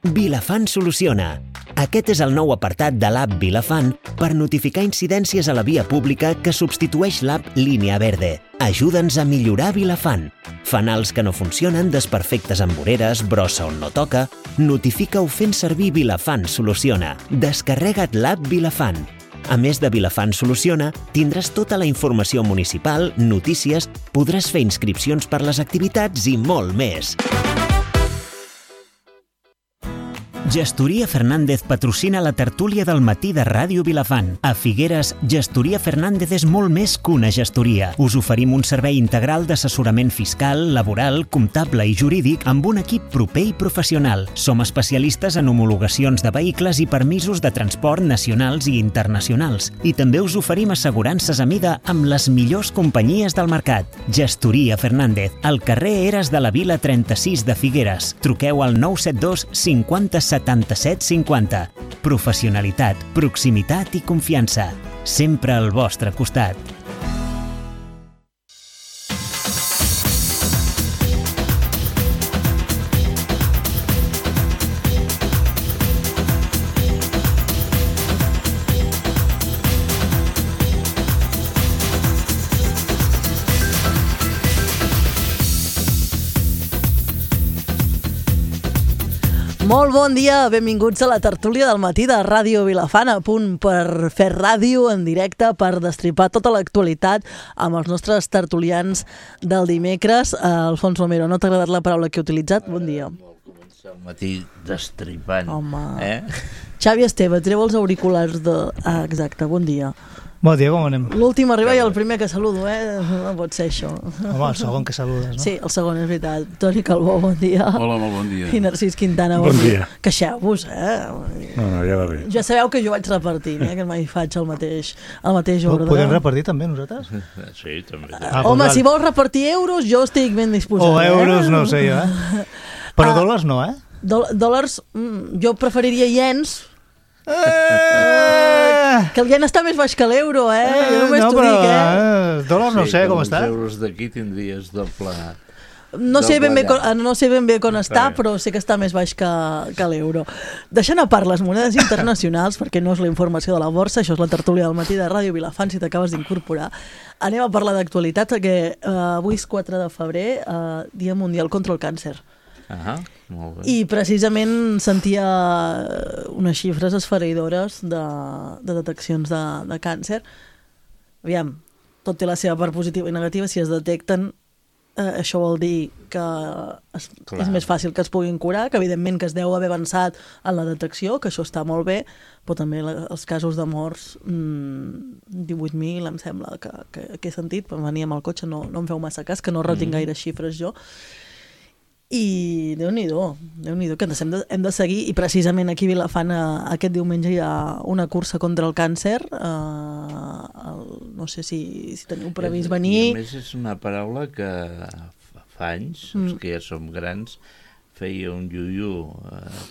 Vilafant soluciona. Aquest és el nou apartat de l'app Vilafant per notificar incidències a la via pública que substitueix l'app Línia Verde. Ajuda'ns a millorar Vilafant. Fanals que no funcionen, desperfectes amb voreres, brossa on no toca... Notifica-ho fent servir Vilafant soluciona. Descarrega't l'app Vilafant. A més de Vilafant soluciona, tindràs tota la informació municipal, notícies, podràs fer inscripcions per les activitats i molt més. Gestoria Fernández patrocina la tertúlia del matí de Ràdio Vilafant. A Figueres, Gestoria Fernández és molt més que una gestoria. Us oferim un servei integral d'assessorament fiscal, laboral, comptable i jurídic amb un equip proper i professional. Som especialistes en homologacions de vehicles i permisos de transport nacionals i internacionals. I també us oferim assegurances a mida amb les millors companyies del mercat. Gestoria Fernández, al carrer Eres de la Vila 36 de Figueres. Truqueu al 972 50 77 50. Professionalitat, proximitat i confiança. Sempre al vostre costat. Molt bon dia, benvinguts a la tertúlia del matí de Ràdio Vilafant, a punt per fer ràdio en directe, per destripar tota l'actualitat amb els nostres tertulians del dimecres. Alfons Romero, no t'ha agradat la paraula que he utilitzat? Bon dia. Vol començar el matí destripant. Home. Xavi Esteve, treu els auriculars de... exacte, bon dia. Bon dia, com anem? L'últim arriba i el primer que saludo, No pot ser això. Home, el segon que saludes, no? Sí, el segon, és veritat. Toni Calbó, bon dia. Hola, molt bon dia. I Narcís Quintana, bon dia. Queixeu-vos, No, ja va bé. Ja sabeu que jo vaig repartint, que mai faig el mateix ordre. Podem repartir també nosaltres? Sí, també. Home, si vols repartir euros, jo estic ben disposat. O euros, no ho sé jo, Però dòlars no, Dòlars, jo preferiria iens. Que el ien està més baix que l'euro, Jo només t'ho dic, dòlars no sé com està. Els euros d'aquí tindries doble... No sé ben bé com està, però sé que està més baix que l'euro. Deixant a part les monedes internacionals, perquè no és la informació de la borsa, això és la tertúlia del matí de Ràdio Vilafant, si t'acabes d'incorporar, anem a parlar d'actualitat, perquè avui és 4 de febrer, Dia Mundial contra el Càncer. Molt bé. I precisament sentia unes xifres esfereïdores de deteccions de càncer. Aviam, tot té la seva part positiva i negativa. Si es detecten, això vol dir que és més fàcil que es puguin curar, que evidentment que es deu haver avançat en la detecció, que això està molt bé, però també els casos de morts, 18.000 em sembla que he sentit, però venia amb el cotxe, no em feu massa cas, que no retinc gaire xifres jo. I Déu-n'hi-do, que hem de seguir, i precisament aquí a Vilafant aquest diumenge hi ha una cursa contra el càncer, no sé si teniu previst venir. I a més és una paraula que fa anys, els que ja som grans, feia un iu-iu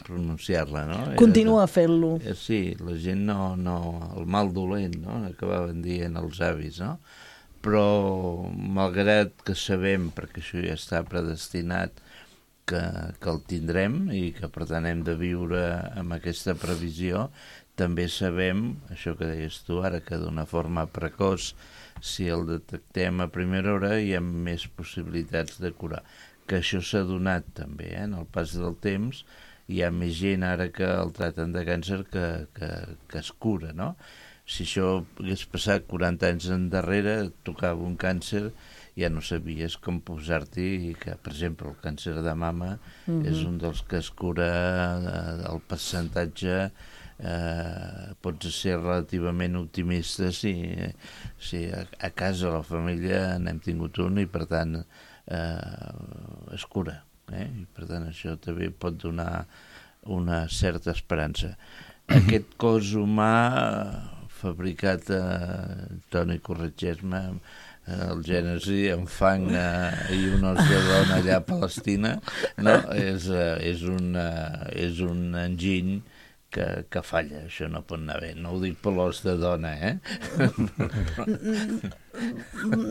pronunciar-la, no? Continua fent-lo. Sí, la gent no, el mal dolent, no? Acabaven dient els avis, no? Però malgrat que sabem, perquè això ja està predestinat, que el tindrem i que per tant hem de viure amb aquesta previsió, també sabem, això que deies tu ara, que d'una forma precoç, si el detectem a primera hora, hi ha més possibilitats de curar. Que això s'ha donat també, en el pas del temps, hi ha més gent ara que el tracten de càncer que es cura, no? Si això hagués passat 40 anys endarrere, tocava un càncer, ja no sabies com posar-t'hi, que, per exemple, el càncer de mama és un dels que es cura, el percentatge, pots ser relativament optimista si a casa, a la família, n'hem tingut un i, per tant, es cura. I, per tant, això també pot donar una certa esperança. Aquest cos humà fabricat, Toni, corregeix-me, el Gènesi, amb fang i un os de dona allà a Palestina, no? És un enginy que falla, això no pot anar bé. No ho dic per l'os de dona,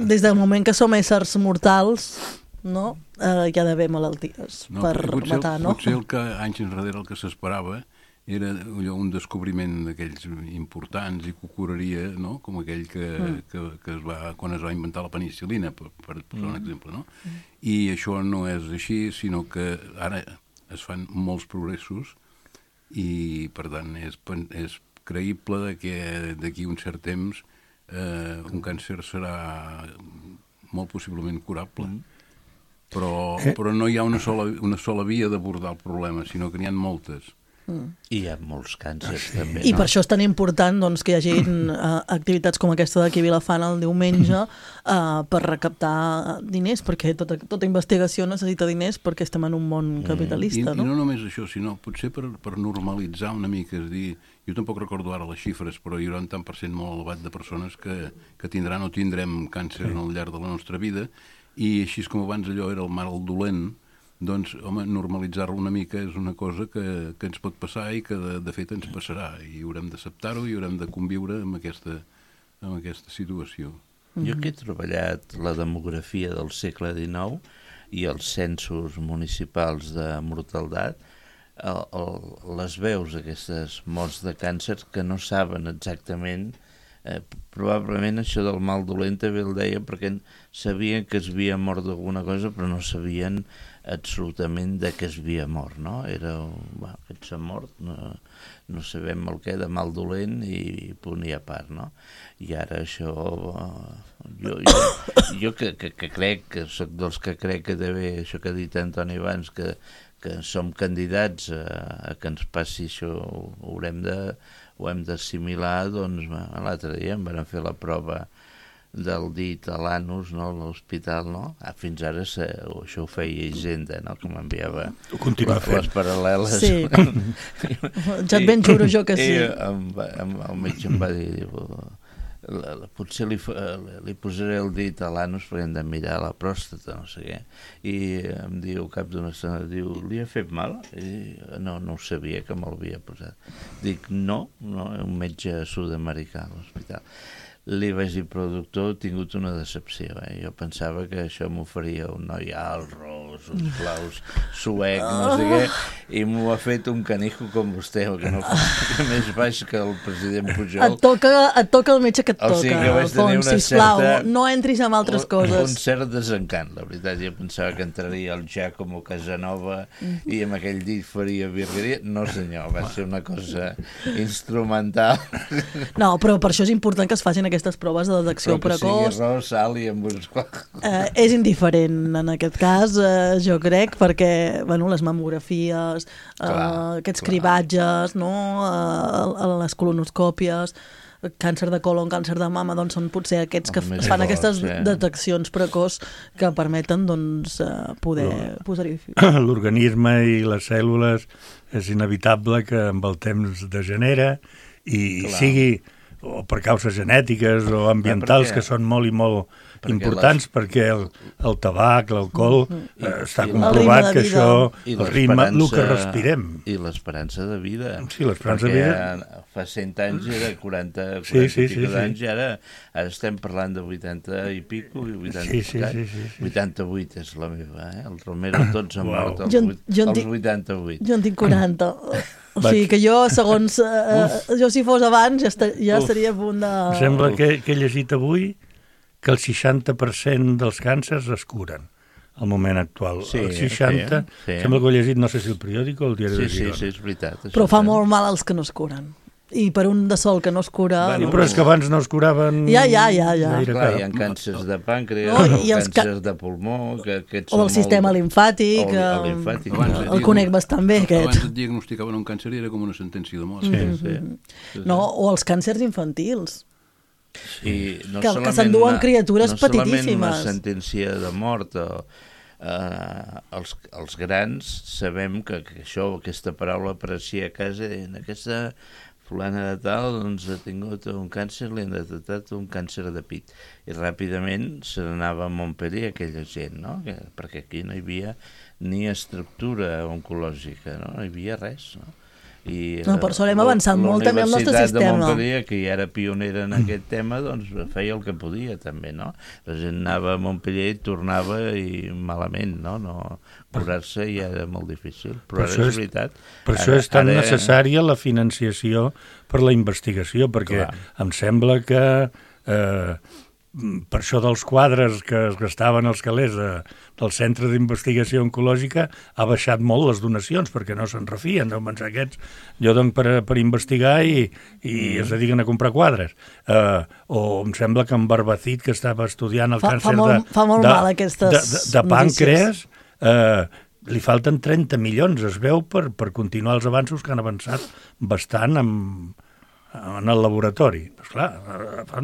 Des del moment que som éssers mortals, no? Hi ha d'haver malalties per matar, no? Potser el que anys enrere el que s'esperava era un descobriment d'aquells importants i que curaria, no? Com aquell que quan es va inventar la penicil·lina, per posar un exemple, no? I això no és així, sinó que ara es fan molts progressos i, per tant, és creïble que d'aquí un cert temps un càncer serà molt possiblement curable. Però no hi ha una sola via d'abordar el problema, sinó que n'hi ha moltes. I hi ha molts càncers, també. I per això és tan important doncs, que hi hagi activitats com aquesta d'aquí a Vilafant el diumenge per recaptar diners, perquè tota investigació necessita diners perquè estem en un món capitalista, no? I no només això, sinó potser per normalitzar una mica, és a dir, jo tampoc recordo ara les xifres, però hi haurà un tant per cent molt elevat de persones que tindran o tindrem càncer al llarg de la nostra vida, i així com abans allò era el mal dolent, doncs, home, normalitzar-lo una mica és una cosa que ens pot passar i que de fet ens passarà, i haurem d'acceptar-ho i haurem de conviure amb aquesta situació. Jo que he treballat la demografia del segle XIX i els censos municipals de mortaldat, les veus aquestes morts de càncer que no saben exactament, probablement això del mal dolent també el deia perquè sabien que es havia mort d'alguna cosa però no sabien absolutament de què es havia mort, no? Era, aquest s'ha mort, no sabem el què, de mal dolent i punt i a part, no? I ara això, jo que crec, que soc dels que crec que també, això que ha dit Antoni abans, que som candidats a que ens passi això, ho hem d'assimilar, doncs l'altre dia em van fer la prova del dit a l'anus, no, a l'hospital, no? Fins ara això ho feia Hisenda, no? Que m'enviava les paral·leles. Sí. Ja et ben juro jo que sí. El metge em va dir, potser li posaré el dit a l'anus perquè hem de mirar la pròstata, no sé què. I em diu, al cap d'una estona, diu, li ha fet mal? I no ho sabia que me'l havia posat. Dic, no, un metge sud-americà a l'hospital. Li vaig dir, però doctor, he tingut una decepció. Jo pensava que això m'ho faria un noi alt, ros, uns blaus, suec, no sé què, i m'ho ha fet un canijo com vostè, que no fa més baix que el president Pujol. Et toca el metge que et toca, o sigui que vaig tenir Alfons, una sisplau, certa, no entris en altres coses. Un cert desencant, la veritat. Jo pensava que entraria el Giacomo Casanova i amb aquell dit faria virgueria. No senyor, va ser una cosa instrumental. No, però per això és important que es facin aquestes proves de detecció precoç. Però que sigui arròs, sal i amb uns... És indiferent en aquest cas, jo crec, perquè les mamografies, aquests cribatges, no? Les colonoscòpies, càncer de colon, càncer de mama, doncs són potser aquests que fan aquestes deteccions precoç que permeten poder posar-hi fi. L'organisme i les cèl·lules és inevitable que amb el temps degenera i sigui o per causes genètiques o ambientals que són molt i molt importants perquè el tabac, l'alcohol, està comprovat que això, el ritme, el que respirem. I l'esperança de vida. Sí, l'esperança de vida. Perquè fa 100 anys era 40 anys i ara estem parlant de 80 i pico, 88 és la meva, el Romero tots han mort als 88. Jo en tinc 40. O sigui que jo, segons... jo si fos abans ja estaria a punt de... Em sembla que he llegit avui que el 60% dels càncers es curen al moment actual. El 60%, sembla que ho he llegit, no sé si el periòdic o el diari de Girona. Sí, és veritat. Però fa molt mal als que no es curen. I per un de sol que no es cura... Però és que abans no es curaven... Ja. Clar, hi ha càncers de pàncreas, càncers de pulmó... O el sistema limfàtic, el conec bastant bé, aquest. Abans et diagnosticaven un càncer i era com una sentència de mort. No, o els càncers infantils. Sí, que s'enduen criatures petitíssimes. No solament una sentència de mort, els grans sabem que aquesta paraula apareixia a casa i en aquesta fulana de tal doncs ha tingut un càncer, li han detectat un càncer de pit i ràpidament se n'anava a Montpellier aquella gent, no? Perquè aquí no hi havia ni estructura oncològica, no hi havia res, no? No, per sort hem avançat molt també el nostre sistema. La Universitat de Montpellier, que ja era pionera en aquest tema, doncs feia el que podia també, no? La gent anava a Montpellier i tornava i malament, no? Curar-se ja era molt difícil, però ara és veritat. Per això és tan necessària la financiació per la investigació, perquè em sembla que per això dels quadres que es gastaven els calés del Centre d'Investigació Oncològica ha baixat molt les donacions, perquè no se'n refien, deuen pensar aquests, jo dono per investigar i es dediquen a comprar quadres. O em sembla que en Barbacid, que estava estudiant el càncer de pàncreas, li falten 30 milions, es veu, per continuar els avanços que han avançat bastant en el laboratori. Doncs clar,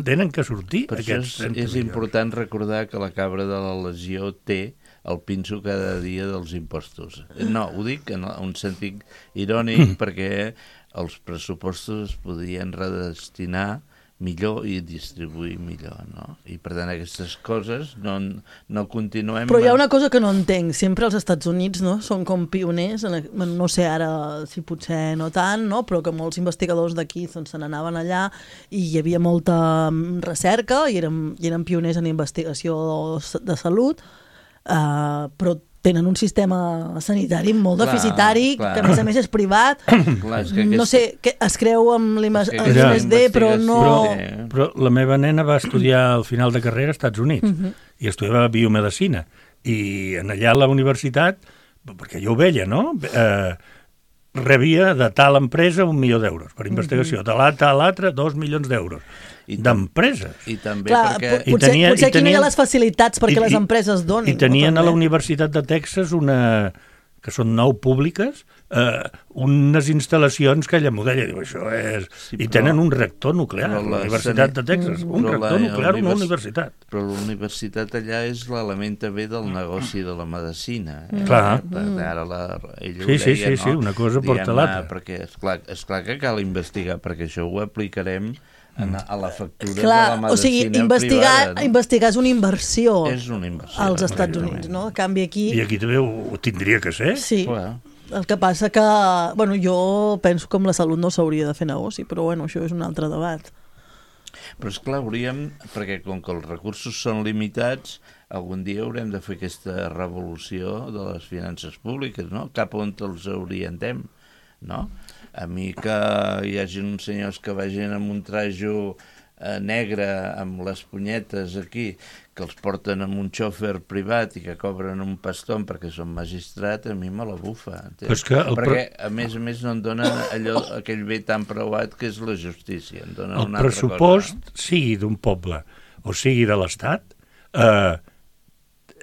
tenen que sortir. Per això és important recordar que la cabra de la legió té el pinso cada dia dels impostos. No, ho dic en un sentit irònic perquè els pressupostos es podien redestinar millor i distribuir millor, no? I per tant aquestes coses no continuem... Però hi ha una cosa que no entenc, sempre els Estats Units, no?, són com pioners, no sé ara si potser no tant, no?, però que molts investigadors d'aquí se n'anaven allà i hi havia molta recerca i eren pioners en investigació de salut, però tenen un sistema sanitari molt deficitari, que a més és privat. No sé, es creu amb l'IMSD, però no... Però la meva nena va estudiar al final de carrera als Estats Units i estudiava biomedicina. I allà a la universitat, perquè jo ho veia, no?, rebia de tal empresa 1 milió d'euros per investigació, de l'altra 2 milions d'euros. D'empreses. I també perquè... Potser aquí no hi ha les facilitats perquè les empreses donin. I tenien a la Universitat de Texas que són 9 públiques, unes instal·lacions que ella modella, diu, això és... I tenen un reactor nuclear, la Universitat de Texas, un reactor nuclear, una universitat. Però la universitat allà és l'element també del negoci de la medicina. Clar. Ara ella ho deia, sí, una cosa porta l'altra. Perquè és clar que cal investigar, perquè això ho aplicarem a la factura de la medicina privada. O sigui, investigar és una inversió. És una inversió. Als Estats Units, no? En canvi aquí... I aquí també ho tindria que ser. Sí. El que passa que, bueno, jo penso que amb la salut no s'hauria de fer negoci, però bueno, això és un altre debat. Però esclar, perquè com que els recursos són limitats, algun dia haurem de fer aquesta revolució de les finances públiques, no? Cap on els orientem, no? A mi que hi hagi uns senyors que vagin amb un trajo negre amb les punyetes aquí, que els porten amb un xòfer privat i que cobren un paston perquè són magistrat, a mi me la bufa. Perquè a més no en donen aquell bé tan preuat que és la justícia. El pressupost, sigui d'un poble o sigui de l'Estat,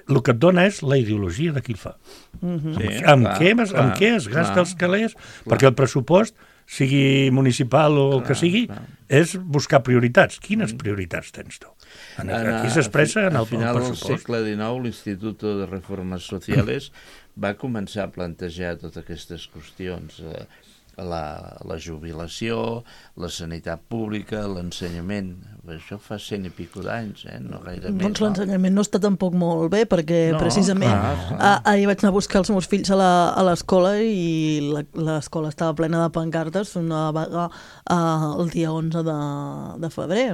el que et dona és la ideologia de qui el fa. Amb què es gasta els calés? Perquè el pressupost, sigui municipal o el que sigui, és buscar prioritats. Quines prioritats tens tu? Aquí s'expressa en el pressupost. Al final del segle XIX, l'Institut de Reformes Sociales va començar a plantejar totes aquestes qüestions, la jubilació, la sanitat pública, l'ensenyament. Això fa 100 i pico d'anys, no gaire més. Doncs l'ensenyament no està tampoc molt bé, perquè precisament ahir vaig anar a buscar els meus fills a l'escola i l'escola estava plena de pancartes, una vaga el dia 11 de febrer,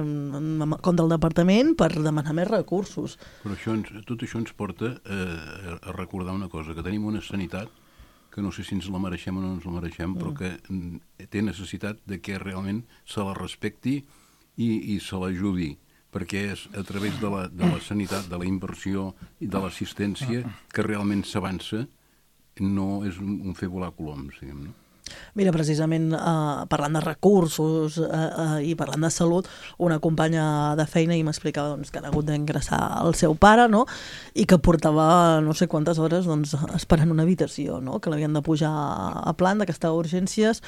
contra el departament per demanar més recursos. Però tot això ens porta a recordar una cosa, que tenim una sanitat que no sé si ens la mereixem o no ens la mereixem, però que té necessitat de que realment se la respecti i se l'ajudi, perquè és a través de la sanitat, de la inversió i de l'assistència que realment s'avança, no és un fer volar coloms, diguem, no? Mira, precisament parlant de recursos i parlant de salut, una companya de feina i m'explicava que han hagut d'ingressar el seu pare, no? I que portava no sé quantes hores esperant una habitació, no? Que l'havien de pujar a planta, que estava a urgències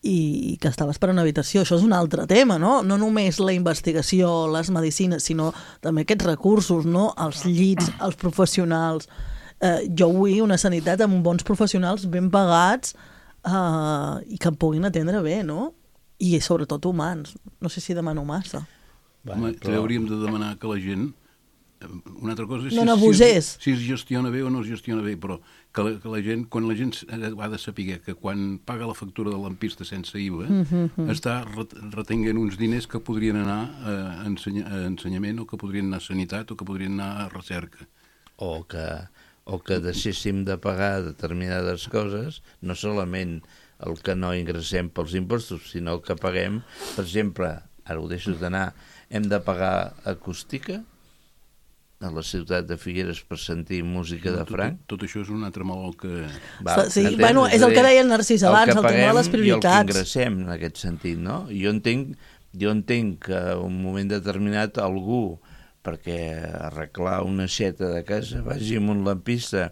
i que estava esperant una habitació. Això és un altre tema, no? No només la investigació, les medicines, sinó també aquests recursos, no? Els llits, els professionals. Jo vull una sanitat amb bons professionals ben pagats i que em puguin atendre bé, no? I sobretot humans. No sé si demano massa. Home, hauríem de demanar que la gent una altra cosa és no n'abusés. si es gestiona bé o no es gestiona bé, però que la gent, quan la gent ha de saber que quan paga la factura de lampista sense IVA, està retenint uns diners que podrien anar a ensenyament, o que podrien anar a sanitat, o que podrien anar a recerca. O que deixéssim de pagar determinades coses, no solament el que no ingressem pels impostos, sinó el que paguem. Per exemple, ara ho deixo d'anar, hem de pagar acústica a la ciutat de Figueres per sentir música de Franc. Tot això és un altre malol que... Sí, bueno, és el que deia el Narcís abans, el tema de les prioritats. I el que ingressem, en aquest sentit, no? Jo entenc que en un moment determinat algú, perquè arreglar una aixeta de casa, vagi amb un lampista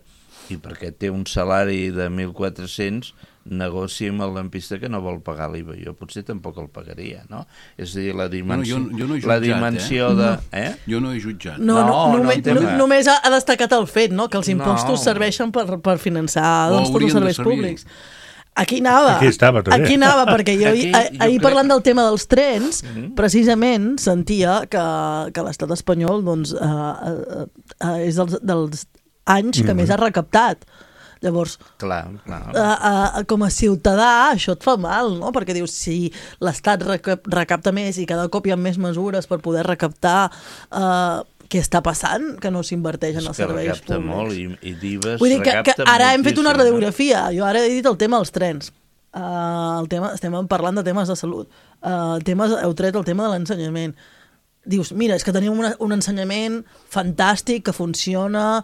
i perquè té un salari de 1.400, negoci amb el lampista que no vol pagar l'IVA. Jo potser tampoc el pagaria, no? És a dir, la dimensió, jo no he jutjat, la dimensió de... Jo no he jutjat. Només ha destacat el fet, no?, que els impostos serveixen per finançar tots els serveis públics. Aquí anava, perquè jo ahir parlant del tema dels trens, precisament sentia que l'estat espanyol doncs, és dels anys que més ha recaptat. Llavors, com a ciutadà, això et fa mal, no? Perquè dius, si l'Estat recapta més i cada cop hi ha més mesures per poder recaptar, què està passant? Que no s'inverteix en els serveis públics. Recapta molt i d'IVA vull dir que ara hem fet una radiografia. Jo ara he dit el tema dels trens. Estem parlant de temes de salut. Heu tret el tema de l'ensenyament. Dius, mira, és que tenim un ensenyament fantàstic, que funciona,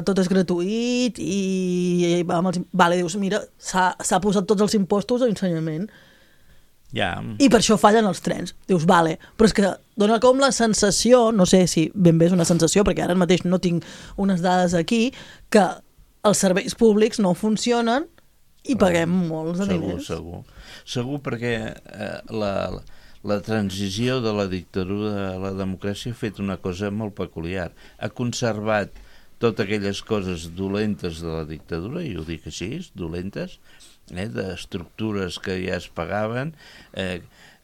tot és gratuït, i dius, mira, s'ha posat tots els impostos a ensenyament. I per això fallen els trens. Dius, però és que dona com la sensació, no sé si ben bé és una sensació, perquè ara mateix no tinc unes dades aquí, que els serveis públics no funcionen i paguem molts de diners. Segur, perquè la transició de la dictadura a la democràcia ha fet una cosa molt peculiar. Ha conservat totes aquelles coses dolentes de la dictadura, i ho dic així, dolentes, d'estructures que ja es pagaven.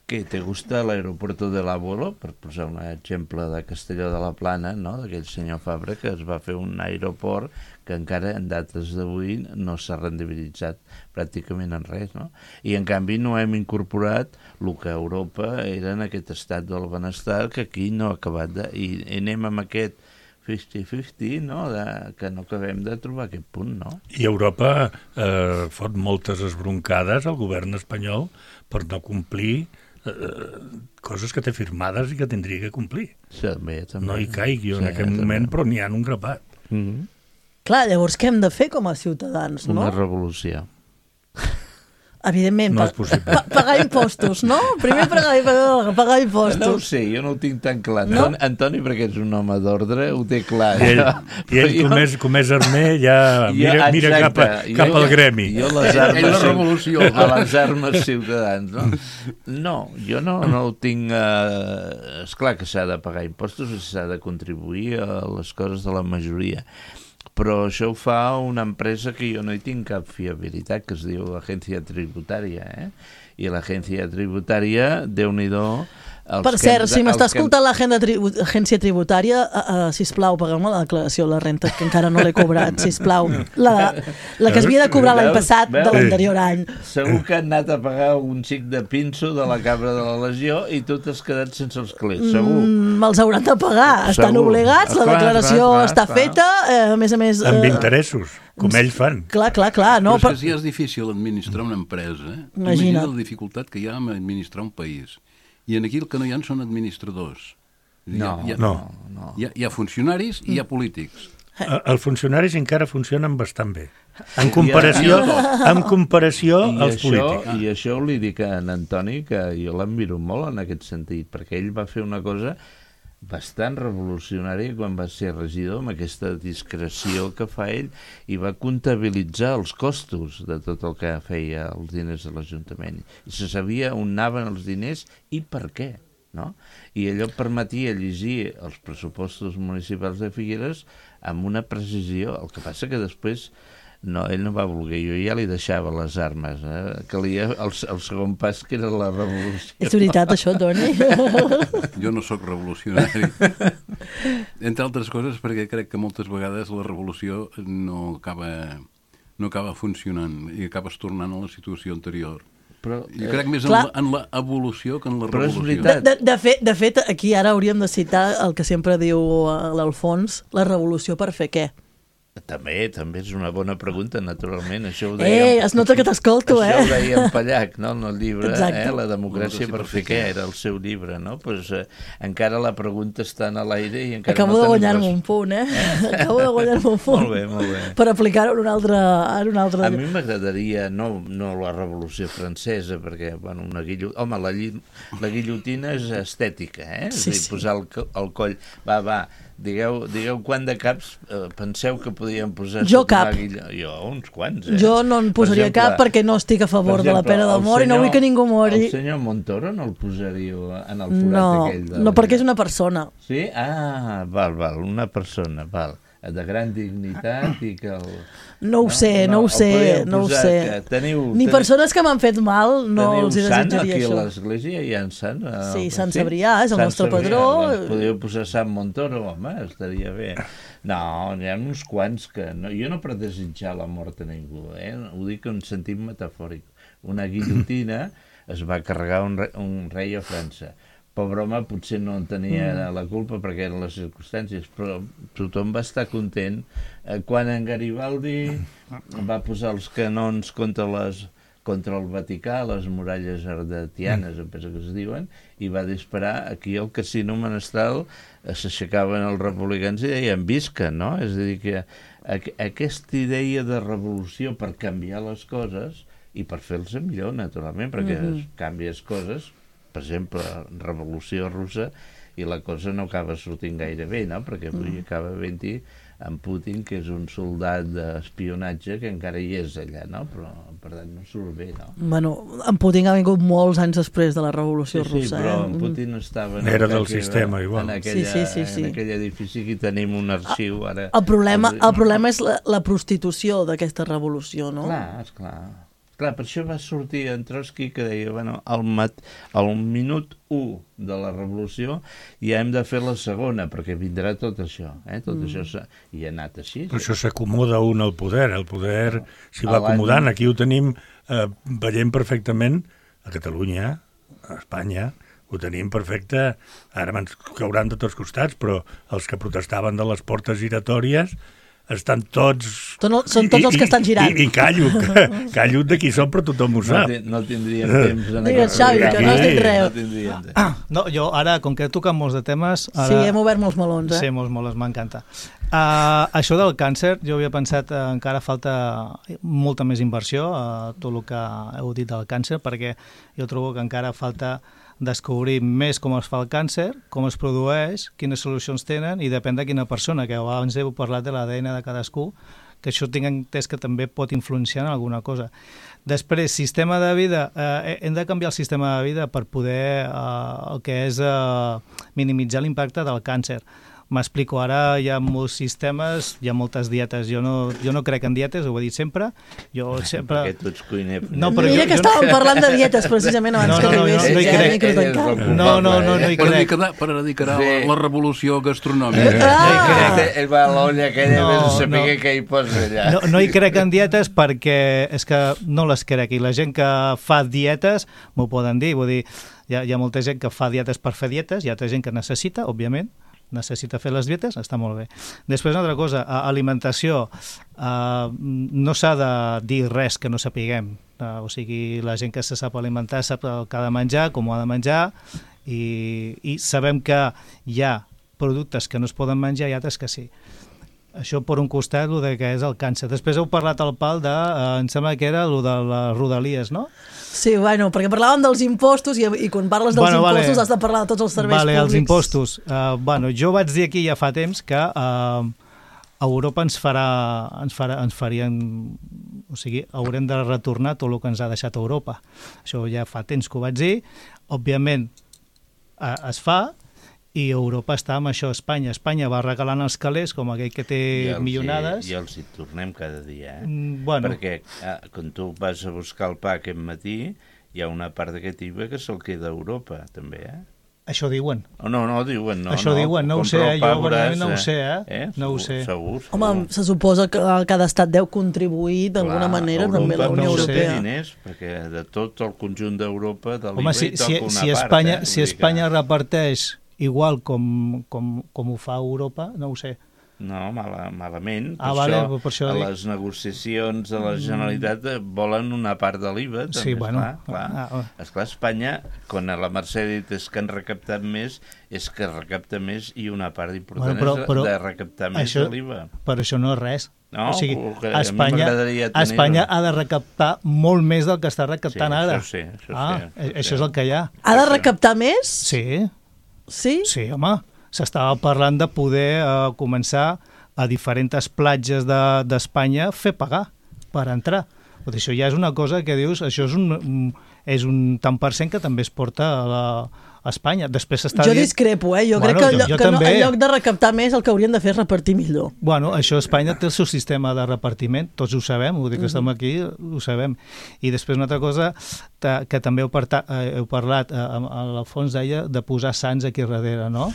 ¿Qué te gusta el aeropuerto del abuelo? Per posar un exemple de Castelló de la Plana, no? D'aquell senyor Fabra, que es va fer un aeroport que encara en dates d'avui no s'ha rendibilitzat pràcticament en res, no? I en canvi no hem incorporat el que a Europa era en aquest estat del benestar, que aquí no ha acabat de... I anem amb aquest 50-50, no? Que no acabem de trobar aquest punt, no? I Europa fot moltes esbroncades al govern espanyol per no complir coses que té firmades i que tindria que complir. També. No hi caig jo en aquest moment, però n'hi ha un grapat. Clar, llavors què hem de fer com a ciutadans, no? Una revolució. Evidentment, no és possible. Pagar impostos, no? Primer pagar impostos. No ho sé, jo no ho tinc tan clar. No? Antoni, perquè és un home d'ordre, ho té clar. I ell com és armer, ja mira cap al gremi. Jo a les armes ciutadans, no? No, jo no ho tinc... Esclar que s'ha de pagar impostos i s'ha de contribuir a les coses de la majoria. Però això ho fa una empresa que jo no hi tinc cap fiabilitat, que es diu Agència Tributària, I l'Agència Tributària, Déu-n'hi-do... Per cert, si m'està escoltant l'Agència Tributària, sisplau, paga'm la declaració de la renta, que encara no l'he cobrat, sisplau. La que es havia de cobrar l'any passat de l'anterior any. Segur que han anat a pagar un xic de pinso de la Cabra de la Legió i tu t'has quedat sense els calés, segur. Me'ls hauran de pagar, estan obligats, la declaració està feta, a més... Amb interessos, com ells fan. Clar. No, però és que si és difícil administrar una empresa, imagina la dificultat que hi ha en administrar un país. I aquí el que no hi ha són administradors. No. Hi ha funcionaris i hi ha polítics. Els funcionaris encara funcionen bastant bé. En comparació als polítics. I això li dic a en Antoni, que jo l'admiro molt en aquest sentit, perquè ell va fer una cosa bastant revolucionària quan va ser regidor, amb aquesta discreció que fa ell, i va comptabilitzar els costos de tot el que feia els diners de l'Ajuntament. I se sabia on anaven els diners i per què, no? I allò permetia llegir els pressupostos municipals de Figueres amb una precisió. El que passa que després ell no va voler, jo ja li deixava les armes, calia el segon pas, que era la revolució. És veritat això, Toni? Jo no sóc revolucionari. Entre altres coses, perquè crec que moltes vegades la revolució no acaba funcionant i acabes tornant a la situació anterior. Però, Jo crec més clar. en l'evolució que en la Però és revolució. veritat. De fet, aquí ara hauríem de citar el que sempre diu l'Alfons, la revolució per fer què? També és una bona pregunta, naturalment. Això ho dèiem, Es nota que t'escolto, Això ho deia Pallac, no?, en el llibre, Exacte. La democràcia per fer què, era el seu llibre, no? Pues, encara la pregunta està en l'aire i encara Acabo no de tenim guanyar-me un punt, Acabo de guanyar-me un punt. Molt bé. Per aplicar-ho en un altre... A mi m'agradaria, no la revolució francesa, perquè, bueno, la guillotina és estètica, Sí, és a dir, sí. posar el coll. Va, digueu quant de caps penseu que podien posar Jo sota cap. una guilla? Jo, uns quants, Jo no en posaria cap perquè no estic a favor de la pena de mort i no vull que ningú mori. El senyor Montoro no el posaríeu en el forat No, aquell? no, perquè és una persona. Sí? Ah, val, una persona, val. De gran dignitat i que el... No ho sé. Ni persones que m'han fet mal no els hi desitjaria aquí això. a l'església hi ha un sant? Sí, Sant Cebrià és el nostre patró. Podríeu posar Sant Montoro, home, estaria bé. No, n'hi ha uns quants que... No, jo no per desitjar la mort a ningú, ho dic en sentit metafòric. Una guillotina es va carregar un rei a França. Pobre home, potser no en tenia la culpa perquè eren les circumstàncies, però tothom va estar content quan en Garibaldi va posar els canons contra el Vaticà, les muralles ardetianes, em penso que es diuen, i va disparar aquí al Casino Menestral, s'aixecaven els republicans i deien visca, no? És a dir, que aquesta idea de revolució per canviar les coses i per fer-les millor, naturalment, perquè canvies coses, per exemple, revolució russa, i la cosa no acaba sortint gaire bé, no? Perquè avui acaba havent-hi en Putin, que és un soldat d'espionatge que encara hi és allà, no? Però, per tant, no surt bé, no? Bueno, en Putin ha vingut molts anys després de la revolució russa. Sí, però en Putin estava... Era del sistema, igual. Sí. En aquell edifici que tenim un arxiu ara... El problema és la prostitució d'aquesta revolució, no? Clar, per això va sortir en Trotsky que deia, bueno, al minut 1 de la revolució ja hem de fer la segona, perquè vindrà tot això, tot això, i ha anat així. Però això s'acomoda un al poder, s'hi va acomodant, aquí ho tenim, veiem perfectament a Catalunya, a Espanya, ho tenim perfecte, ara ens cauran de tots costats, però els que protestaven de les portes giratòries estan tots... Són tots els que estan girant. I callo de qui són, però tothom ho sap. No tindríem temps en Digues, Xavi, que no has dit res. No, jo ara, com que he tocat molts de temes... Ara... Sí, hem obert molts melons, Sí, molts, m'encanta. Això del càncer, jo havia pensat encara falta molta més inversió a tot el que heu dit del càncer, perquè jo trobo que encara falta descobrir més com es fa el càncer, com es produeix, quines solucions tenen, i depèn de quina persona, que abans heu parlat de l'ADN de cadascú, que això tinc entès que també pot influenciar en alguna cosa. Després, sistema de vida, hem de canviar el sistema de vida per poder el que és minimitzar l'impacte del càncer. M'explico, ara hi ha molts sistemes, hi ha moltes dietes. Jo no crec en dietes, ho he dit sempre. Jo sempre... Perquè tu ets cuiner. No, mira que estàvem parlant de dietes precisament abans que arribessis. No hi crec. No hi crec. Per dedicar la revolució gastronòmica. Ell va a l'olla aquella vez a saber què hi posa allà. No hi crec en dietes perquè és que no les crec. I la gent que fa dietes m'ho poden dir. Vull dir, hi ha molta gent que fa dietes per fer dietes, hi ha altra gent que necessita, òbviament, necessita fer les dietes, està molt bé. Després, una altra cosa, alimentació. No s'ha de dir res que no sapiguem. O sigui, la gent que se sap alimentar sap el que ha de menjar, com ho ha de menjar, i sabem que hi ha productes que no es poden menjar i altres que sí. Això per un costat, el que és el càncer. Després heu parlat al pal de, em sembla que era el de les rodalies, no? Sí, bueno, perquè parlàvem dels impostos i quan parles dels impostos has de parlar de tots els serveis públics. Els impostos. Jo vaig dir aquí ja fa temps que Europa ens farien... O sigui, haurem de retornar tot el que ens ha deixat Europa. Això ja fa temps que ho vaig dir. Òbviament es fa, i Europa està amb això. Espanya va regalant els calés com aquell que té milionades. I els hi tornem cada dia, Bueno. Perquè quan tu vas a buscar el pa aquest matí, hi ha una part d'aquest IVA que se'l queda a Europa, també, Això diuen. No, diuen, no. Això diuen, no ho sé, jo verdaderament no ho sé, no ho sé. Segur. Home, se suposa que cada estat deu contribuir d'alguna manera també a la Unió Europea. Diners, perquè de tot el conjunt d'Europa de l'IVA hi toca una part. Si Espanya reparteix igual com ho fa Europa, no ho sé. No, malament. Per això a les negociacions de la Generalitat volen una part de l'IVA. Sí, bueno. Esclar, Espanya, quan la Mercè ha dit és que han recaptat més, és que recapta més i una part important és de recaptar més de l'IVA. Però això no és res. No, o sigui, Espanya ha de recaptar molt més del que està recaptant ara. Això és el que hi ha. Ha de recaptar més? Sí. Sí? Sí, home. S'estava parlant de poder començar a diferents platges d'Espanya fer pagar per entrar. Això ja és una cosa que dius, això és un tant per cent que també es porta a Espanya. Després jo discrepo, jo crec que en lloc de recaptar més el que haurien de fer és repartir millor. Bueno, això Espanya té el seu sistema de repartiment, tots ho sabem, vull dir que estem aquí, ho sabem. I després una altra cosa que també heu parlat, a l'Alfons deia de posar sants aquí darrere, no?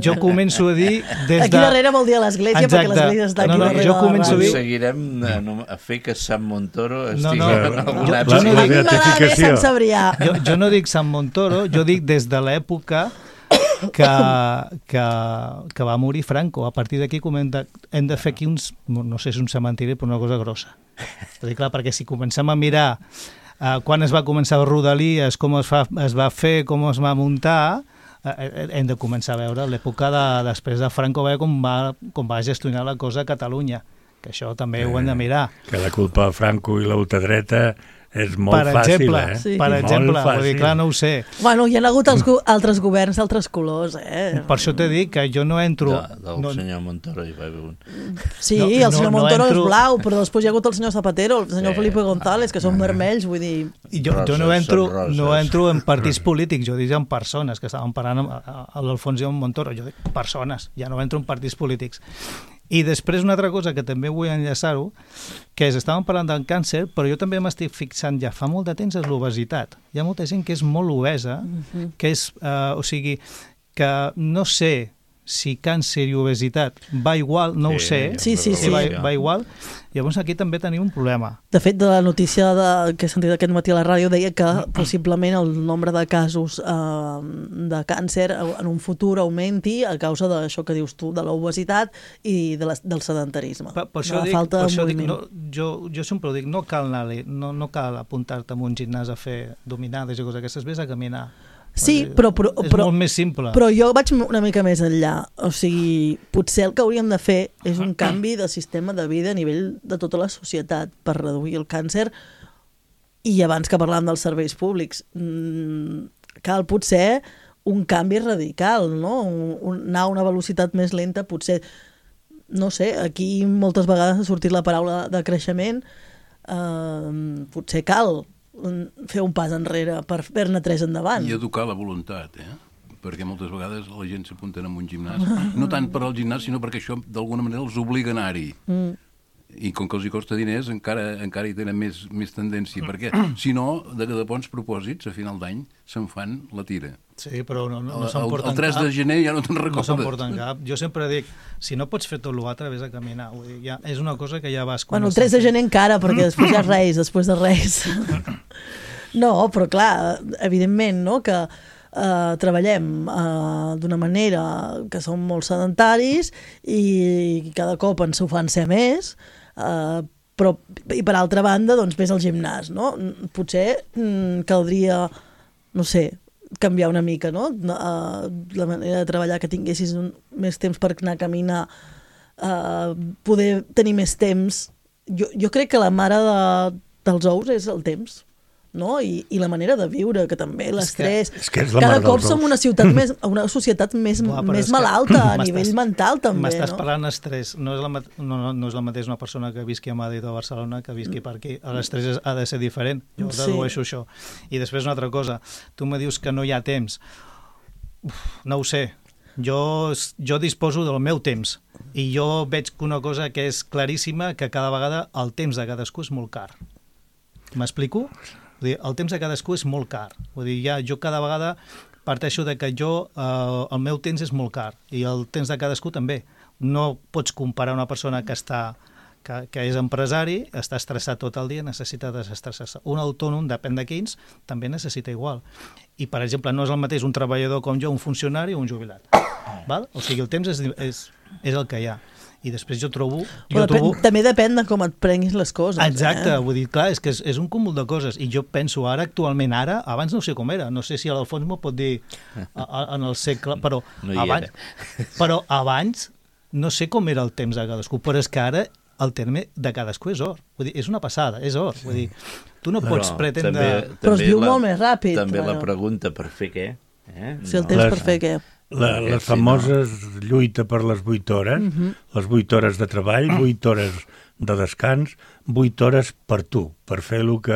Jo començo a dir des de... Aquí darrere vol dir a l'església, perquè l'església està aquí darrere. Jo començo a dir... Seguirem a fer que Sant Montoro estigui en alguna època. Jo no dic Sant Montoro, jo dic des de l'època que va morir Franco. A partir d'aquí hem de fer aquí uns, no sé si un cementiri, però una cosa grossa. Perquè si comencem a mirar quan es va començar a Rodalies, com es va fer, com es va muntar, hem de començar a veure l'època després de Franco, com va gestionar la cosa a Catalunya, que això també ho hem de mirar. Que la culpa de Franco i l'ultradreta és molt fàcil, Per exemple, vull dir, clar, no ho sé. Bueno, hi ha hagut altres governs d'altres colors, Per això t'he dit que jo no entro... Del senyor Montoro hi va haver un... Sí, el senyor Montoro és blau, però després hi ha hagut el senyor Zapatero, el senyor Felipe González, que són vermells, vull dir... Jo no entro en partits polítics, jo dic en persones, que estaven parlant amb l'Alfons i amb Montoro, jo dic persones, ja no entro en partits polítics. I després una altra cosa que també vull enllaçar-ho, que estàvem parlant del càncer, però jo també m'estic fixant ja fa molt de temps és l'obesitat. Hi ha molta gent que és molt obesa, que és, o sigui, que no sé si càncer i obesitat va igual, no ho sé, sí. Va igual. Llavors aquí també tenim un problema. De fet, de la notícia que he sentit aquest matí a la ràdio deia que possiblement el nombre de casos de càncer en un futur augmenti a causa d'això que dius tu, de l'obesitat i del sedentarisme. Per això dic, jo sempre ho dic, no cal apuntar-te a un gimnàs a fer dominades i coses d'aquestes, vés a caminar. Sí, però és molt més simple. Però jo vaig una mica més enllà. O sigui, potser el que hauríem de fer és un canvi de sistema de vida a nivell de tota la societat per reduir el càncer. I abans que parlàvem dels serveis públics, cal potser un canvi radical, no? Anar a una velocitat més lenta, potser, no sé, aquí moltes vegades ha sortit la paraula de creixement, potser cal fer un pas enrere per fer-ne tres endavant. I educar la voluntat, perquè moltes vegades la gent s'apunta en un gimnàs, no tant per al gimnàs, sinó perquè això d'alguna manera els obliga a anar-hi. I com que els hi costa diners, encara hi tenen més tendència, perquè si no, de bons propòsits, a final d'any, se'n fan la tira. Sí, però no s'emporten cap. El 3 de gener ja no te'n recordes. No s'emporten cap. Jo sempre dic, si no pots fer tot l'altre, vés a caminar. Vull dir, és una cosa que ja vas... Bueno, el 3 de gener encara, perquè després ja després de res. No, però clar, evidentment, no?, que treballem d'una manera que som molt sedentaris i cada cop ens ho fan ser més, però i per altra banda doncs ves al gimnàs, no? Potser caldria, no sé, canviar una mica, no? La manera de treballar, que tinguessis més temps per anar a caminar, poder tenir més temps. Jo crec que la mare dels ous és el temps, no? I la manera de viure, que també l'estrès... Cada cop som una societat més malalta a nivell mental, també. M'estàs parlant estrès. No és la mateixa una persona que visqui a Madrid o a Barcelona que visqui per aquí. L'estrès ha de ser diferent. Jo dedueixo això. I després una altra cosa. Tu me dius que no hi ha temps. No ho sé. Jo disposo del meu temps. I jo veig una cosa que és claríssima, que cada vegada el temps de cadascú és molt car. M'explico? El temps de cadascú és molt car. Vull dir, jo cada vegada parteixo de que el meu temps és molt car i el temps de cadascú també. No pots comparar una persona que és empresari, està estressat tot el dia, necessita desestressar-se. Un autònom, depèn de quins, també necessita igual. I, per exemple, no és el mateix un treballador com jo, un funcionari o un jubilat. Val? O sigui, el temps és el que hi ha. I després jo trobo... També depèn de com et prenguis les coses. Exacte, vull dir, clar, és que és un cúmul de coses. I jo penso actualment, abans no sé com era, no sé si l'Alfons m'ho pot dir en el segle, però abans no sé com era el temps de cadascú, però és que ara el terme de cadascú és or. Vull dir, és una passada, és or. Vull dir, tu no pots pretendre... Però es viu molt més ràpid. També la pregunta, per fer què? Si el temps per fer què? Les famoses lluita per les 8 hores, les 8 hores de treball, 8 hores de descans, 8 hores per tu, per fer el que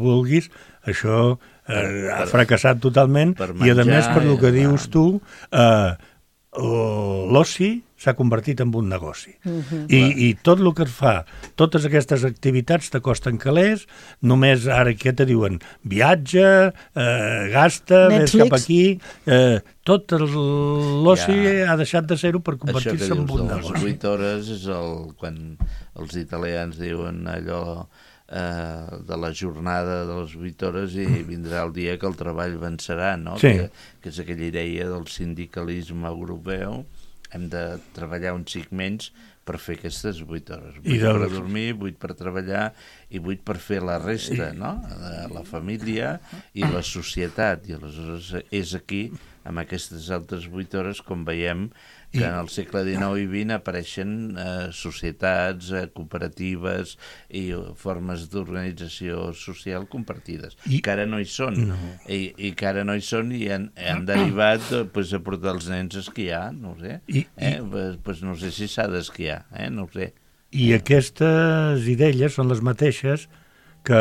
vulguis. Això ha fracassat totalment i, a més, per el que dius tu, l'oci s'ha convertit en un negoci. I tot el que es fa, totes aquestes activitats te costen calés, només ara què te diuen? Viatge, gasta, vés cap aquí... Tot l'oci ha deixat de ser-ho per convertir-se en un negoci. Les 8 hores és quan els italians diuen allò de la jornada de les 8 hores i vindrà el dia que el treball vencerà, no? Que és aquella idea del sindicalisme europeu. Hem de treballar un xic menys per fer aquestes 8 hores. 8 per dormir, 8 per treballar i 8 per fer la resta, no? La família i la societat. I aleshores és aquí, amb aquestes altres 8 hores, com veiem que en el segle XIX i XX apareixen societats, cooperatives i formes d'organització social compartides, que ara no hi són. I que ara no hi són i han derivat a portar els nens a esquiar, no ho sé. No sé si s'ha d'esquiar, no ho sé. I aquestes idees són les mateixes que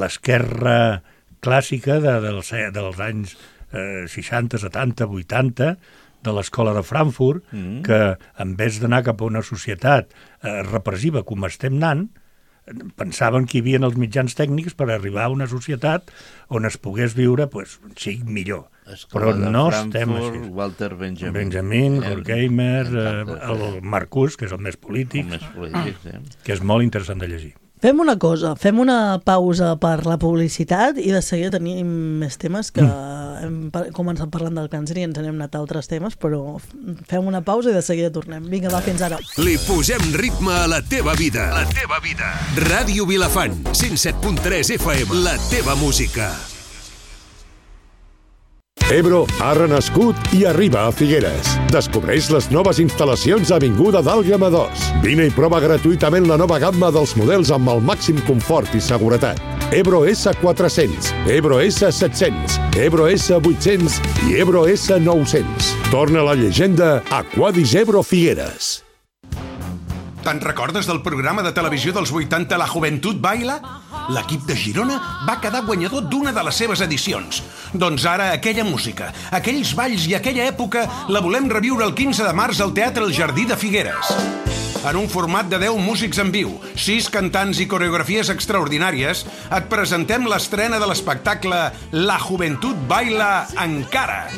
l'esquerra clàssica dels anys 60, 70, 80, de l'escola de Frankfurt, que en vez d'anar cap a una societat repressiva com estem anant, pensaven que hi havia els mitjans tècnics per arribar a una societat on es pogués viure un xic millor. Però no estem així. Walter Benjamin, Horkheimer, el Marcuse, que és el més polític, que és molt interessant de llegir. Fem una cosa, fem una pausa per la publicitat i de seguida tenim més temes que hem començat parlant del càncer i ens n'hem anat a altres temes, però fem una pausa i de seguida tornem. Vinga, va, fins ara. Li posem ritme a la teva vida. La teva vida. Ràdio Vilafant, 107.3 FM, la teva música. Ebro ha renascut i arriba a Figueres. Descobreix les noves instal·lacions a Avinguda d'Àlguema 2. Vine i prova gratuïtament la nova gamma dels models amb el màxim confort i seguretat. Ebro S400, Ebro S700, Ebro S800 i Ebro S900. Torna la llegenda Aquadis Ebro Figueres. Te'n recordes del programa de televisió dels 80 La Juventud Baila? L'equip de Girona va quedar guanyador d'una de les seves edicions. Doncs ara aquella música, aquells balls i aquella època la volem reviure el 15 de març al Teatre El Jardí de Figueres. En un format de 10 músics en viu, 6 cantants i coreografies extraordinàries, et presentem l'estrena de l'espectacle La Juventud Baila Encara.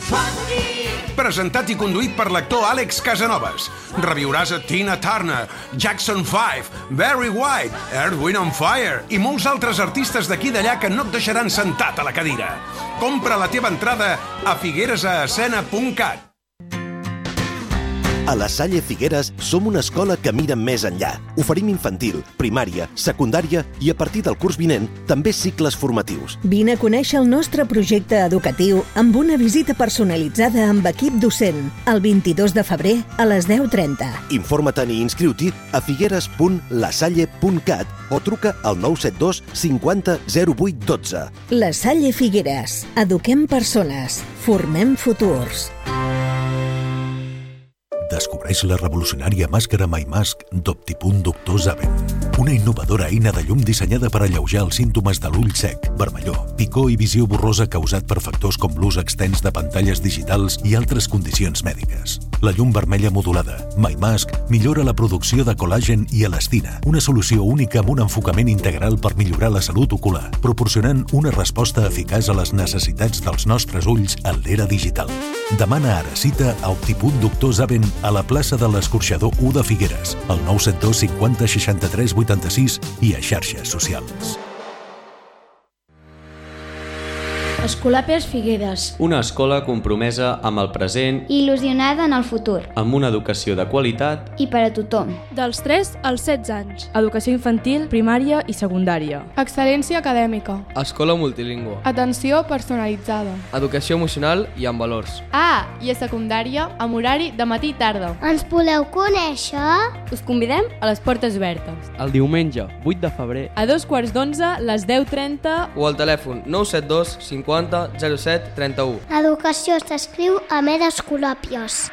Presentat i conduït per l'actor Àlex Casanovas. Reviuràs a Tina Turner, Jackson 5, Barry White, Earth, Wind & Fire i molts altres artistes d'aquí i d'allà que no et deixaran sentat a la cadira. Compra la teva entrada a figueresascena.cat. A la Salle Figueres som una escola que mira més enllà. Oferim infantil, primària, secundària i a partir del curs vinent també cicles formatius. Vine a conèixer el nostre projecte educatiu amb una visita personalitzada amb equip docent el 22 de febrer a les 10:30. Informa't-hi i inscriu-t'hi a figueres.lasalle.cat o truca al 972 50 08 12. La Salle Figueres. Eduquem persones. Formem futurs. Descobreix la revolucionària màscara MyMask d'Optipunt Doctor Zaven. Una innovadora eina de llum dissenyada per alleujar els símptomes de l'ull sec, vermellor, picor i visió borrosa causat per factors com l'ús extens de pantalles digitals i altres condicions mèdiques. La llum vermella modulada, MyMask, millora la producció de col·làgen i elastina, una solució única amb un enfocament integral per millorar la salut ocular, proporcionant una resposta eficaç a les necessitats dels nostres ulls en l'era digital. Demana ara cita a Optipunt Doctor Zaven a la plaça de l'Escorxador 1 de Figueres, al 972 50 63 86 i a xarxes socials. Escolapes Figueres. Una escola compromesa amb el present i il·lusionada en el futur. Amb una educació de qualitat i per a tothom. Dels 3 als 16 anys. Educació infantil, primària i secundària. Excel·lència acadèmica. Escola multilingüe. Atenció personalitzada. Educació emocional i amb valors. I a secundària, amb horari de matí i tarda. Ens voleu conèixer? Us convidem a les portes obertes. El diumenge, 8 de febrer. A 2:15, les 10:30. O al telèfon 972 50 07 31. Educació s'escriu amb Escolàpies.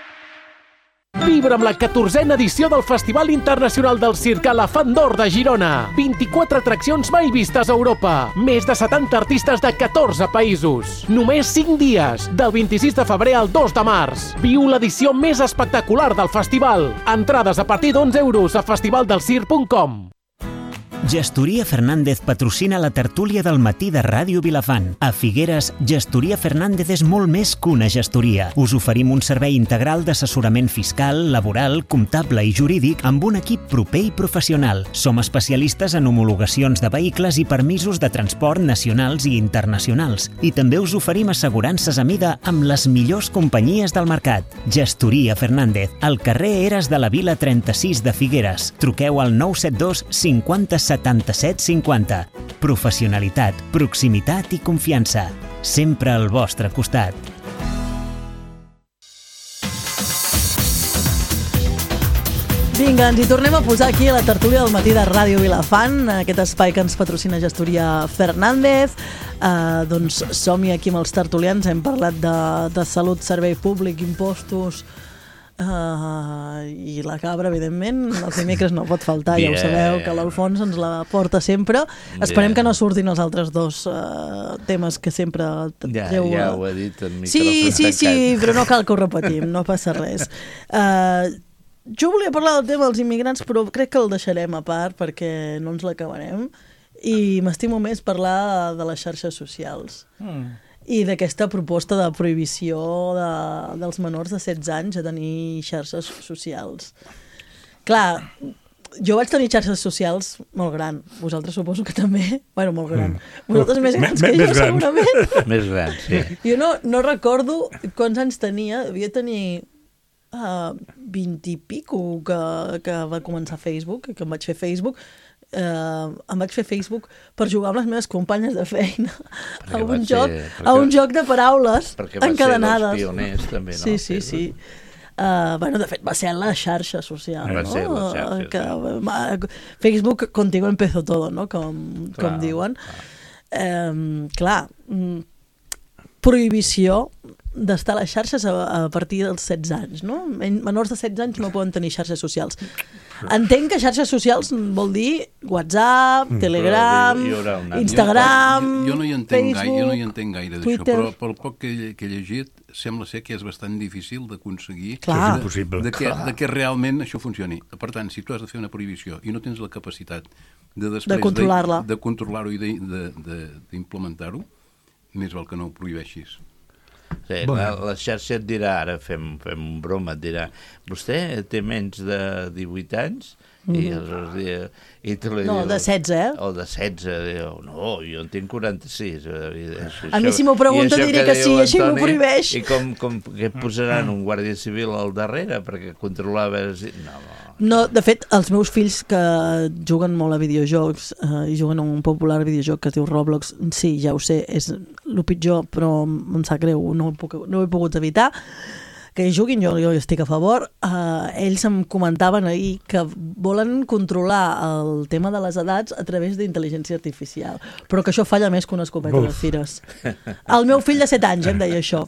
Vibra amb la 14a edició del Festival Internacional del Circ Elefant d'Or de Girona. 24 atraccions mai vistes a Europa. Més de 70 artistes de 14 països. Només 5 dies, del 26 de febrer al 2 de març. Viu l'edició més espectacular del festival. Entrades a partir d'11 € a festivaldelcirc.com. Gestoria Fernández patrocina la tertúlia del matí de Ràdio Vilafant. A Figueres, Gestoria Fernández és molt més que una gestoria. Us oferim un servei integral d'assessorament fiscal, laboral, comptable i jurídic amb un equip proper i professional. Som especialistes en homologacions de vehicles i permisos de transport nacionals i internacionals. I també us oferim assegurances a mida amb les millors companyies del mercat. Gestoria Fernández, al carrer Eres de la Vila 36 de Figueres. Truqueu al 972 50 77 50. Professionalitat, proximitat i confiança. Sempre al vostre costat. Vinga, ens hi tornem a posar aquí a la tertúlia del matí de Ràdio Vilafant, aquest espai que ens patrocina Gestoria Fernández. Doncs som-hi aquí amb els tertulians, hem parlat de salut, servei públic, impostos, i la cabra, evidentment, els dimecres no pot faltar, ja ho sabeu, que l'Alfons ens la porta sempre. Esperem que no surtin els altres dos temes que sempre... Ja ho he dit en micròfon tancat. Sí, però no cal que ho repetim, no passa res. Jo volia parlar del tema dels immigrants, però crec que el deixarem a part perquè no ens l'acabarem, i m'estimo més parlar de les xarxes socials. I d'aquesta proposta de prohibició dels menors de 16 anys a tenir xarxes socials. Clar, jo vaig tenir xarxes socials molt gran. Vosaltres suposo que també. Bueno, molt gran. Vosaltres més grans que jo, segurament. Més grans, sí. Jo no recordo quants anys tenia. Devia tenir 20 i pico que va començar Facebook, que em vaig fer Facebook. Em vaig fer Facebook per jugar amb les meves companyes de feina a un joc de paraules encadenades. Perquè va ser dels pioners també, no? Sí. De fet va ser la xarxa social, no? Facebook contigo empezó todo, no? Com diuen. Clar, prohibició d'estar a les xarxes a partir dels 16 anys, no? Menors de 16 anys no poden tenir xarxes socials. Entenc que xarxes socials vol dir WhatsApp, Telegram, Instagram, Facebook, jo no hi entenc gaire d'això, però pel poc que he llegit sembla ser que és bastant difícil d'aconseguir que realment això funcioni. Per tant, si tu has de fer una prohibició i no tens la capacitat de controlar-ho i d'implementar-ho, més val que no ho prohibeixis. Sí, la xarxa et dirà, ara fem broma, et dirà, vostè té menys de 18 anys? I tu li no, dius, de 16, O de 16, diu, no, jo en tinc 46. A mi si m'ho pregunta diré que sí, així m'ho prohibeix. I com que posaran un guàrdia civil al darrere perquè controlar a veure si... No, de fet, els meus fills que juguen molt a videojocs i juguen a un popular videojoc que es diu Roblox, sí, ja ho sé, és el pitjor, però em sap greu, no ho he pogut evitar. que juguin, jo estic a favor. Ells em comentaven ahir que volen controlar el tema de les edats a través d'intel·ligència artificial, però que això falla més que una escopeta de fires. El meu fill de 7 anys em deia això.